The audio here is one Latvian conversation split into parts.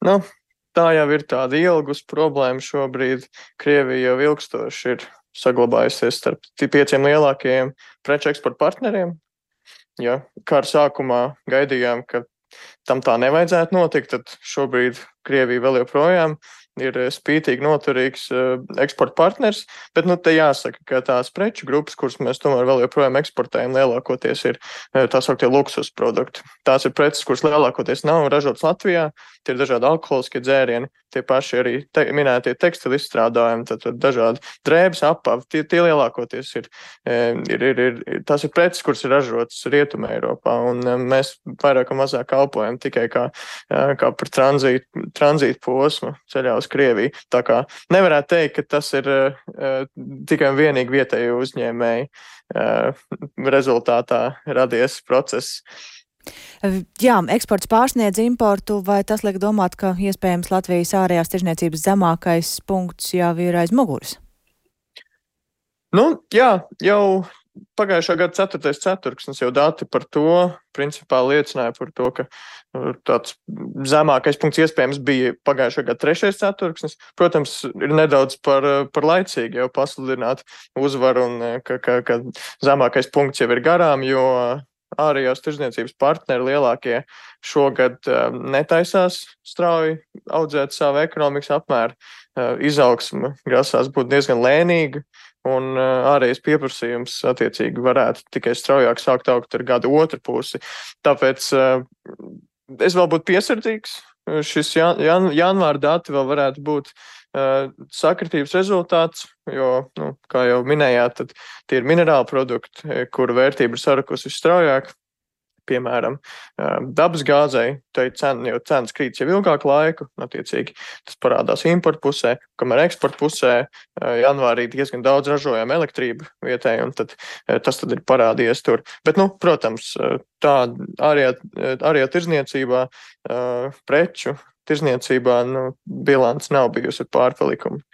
Nu, tā jau ir tāda ilgus problēma šobrīd. Krievija jau ilgstoši ir saglabājusies starp 5 lielākajiem preču eksporta partneriem. Ja kara sākumā gaidījām, ka tam tā nevajadzētu notikt, tad šobrīd Krievija vēl joprojām ir spītīgi noturīgs eksporta partners, bet te jāsaka, ka tās preču grupas, kuras mēs tomēr vēl joprojām eksportējam, lielākoties ir tā sauktie luksus produkti. Tās ir preces, kuras lielākoties nav ražotas Latvijā, tie ir dažādi alkoholiskie dzērieni, tie paši arī minētie tekstilu izstrādājumi, tad dažādi drēbes, apavi, tie lielākoties tās ir preces, kuras ir ražotas Rietumē Eiropā, un mēs vairāk un mazāk kalpojam tikai kā par tranzītu posmu ceļā uz Krieviju. Tā kā nevarētu teikt, ka tas ir tikai un vienīgi vietēju uzņēmēju rezultātā radies process. Jā, eksports pārsniedz importu, vai tas liek domāt, ka iespējams Latvijas ārējās tirdzniecības zemākais punkts jau ir aiz muguras? Jā, jau pagājušā gada 4. ceturksnis jau dati par to principā liecināja par to, ka tāds zemākais punkts iespējams bija pagājušā gada 3. ceturksnis. Protams, ir nedaudz par laicīgi jau pasludināt uzvaru un ka zemākais punkts jau ir garām, jo ārējās tirdzniecības partneri lielākie šogad netaisās strauji audzēt savu ekonomikas apmēru. Izaugsme grasās būt diezgan lēnīga, un ārējais pieprasījums attiecīgi varētu tikai straujāk sākt augt ar gada otru pusi. Tāpēc es vēl būtu piesardzīgs. Šis janvāra dati vēl varētu būt sakritības rezultāts, jo, kā jau minējāt, tad tie ir minerāli produkti, kuru vērtība ir sarukusi visstraujāk. Piemēram, dabas gāzei, cenas krīt jau ilgāku laiku, attiecīgi tas parādās importu pusē, kamēr eksporta pusē janvārī diezgan daudz ražojām elektrību vietēji, un tas ir parādījies tur. Bet, protams, tā ārējā tirdzniecībā, preču tirdzniecībā, bilants nav bijusi ar pārpalikumu.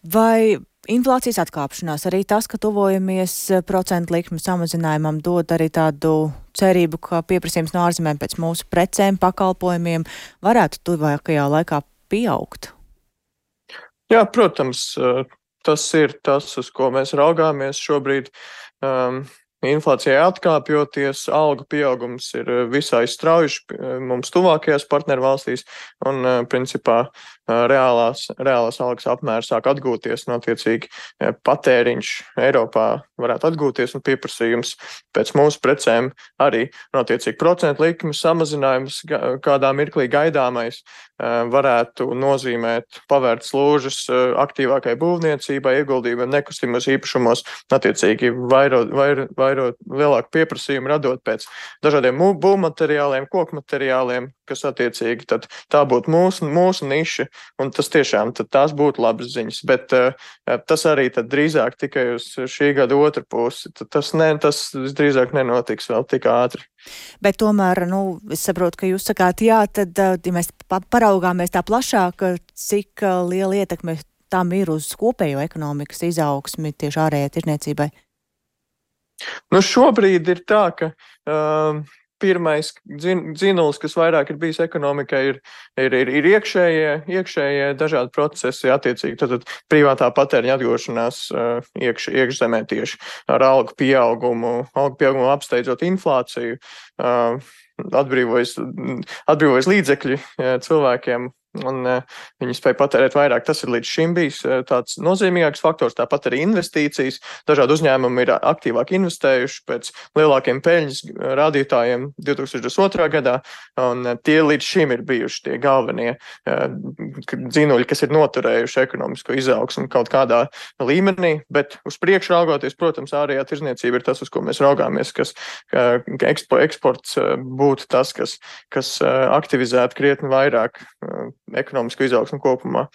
Vai inflācijas atkāpšanās, arī tas, ka tuvojamies procentu likmu samazinājumam, dod arī tādu cerību, ka pieprasījums no ārzemēm pēc mūsu precēm, pakalpojumiem varētu tuvākajā laikā pieaugt? Jā, protams, tas ir tas, uz ko mēs raugāmies šobrīd. Inflācijai atkāpjoties, algu pieaugums ir visai strauji mums tuvākajās partneru valstīs, un principā reālās algas apmērs sāk atgūties, un attiecīgi patēriņš Eiropā varētu atgūties, un pieprasījums pēc mūsu precēm arī, un attiecīgi procentu likmes samazinājums kādā mirklī gaidāmais varētu nozīmēt pavērt slūžas aktīvākai būvniecībai, ieguldījumiem nekustamos īpašumos, attiecīgi vairot lielāku pieprasījumu, radot pēc dažādiem būvmateriāliem, kokmateriāliem, kas attiecīgi tad tā būtu mūsu niša, un tas tiešām tās būtu labas ziņas, bet tas arī tad drīzāk tikai uz šī gada otru pusi. Tas drīzāk nenotiks vēl tik ātri. Bet tomēr, es saprotu, ka jūs sakāt, jā, tad, ja mēs paraugāmies tā plašāk, cik liela ietekme tam ir uz kopējo ekonomikas izaugsmi tieši ārējai tirdzniecībai? Šobrīd ir tā, ka pirmais dzinulis, kas vairāk ir bijis ekonomikai, ir iekšējie dažādi procesi, attiecīgi tad privātā patēriņa atgūšanās iekšzemē tieši ar algu pieaugumu apsteidzot inflāciju, atbrīvojas līdzekļi cilvēkiem, un viņi spēja patērēt vairāk. Tas ir līdz šim bijis tāds nozīmīgāks faktors, tāpat arī investīcijas. Dažādi uzņēmumi ir aktīvāk investējuši pēc lielākiem peļņas rādītājiem 2022. gadā, un tie līdz šim ir bijuši tie galvenie dzinuļi, kas ir noturējuši ekonomisko izaugsmu kaut kādā līmenī, bet uz priekšu raugoties, protams, ārējā tirdzniecība ir tas, uz ko mēs raugāmies, ka eksports būtu tas, kas aktivizētu krietni vairāk ekonomisku izaugsmu kopumā.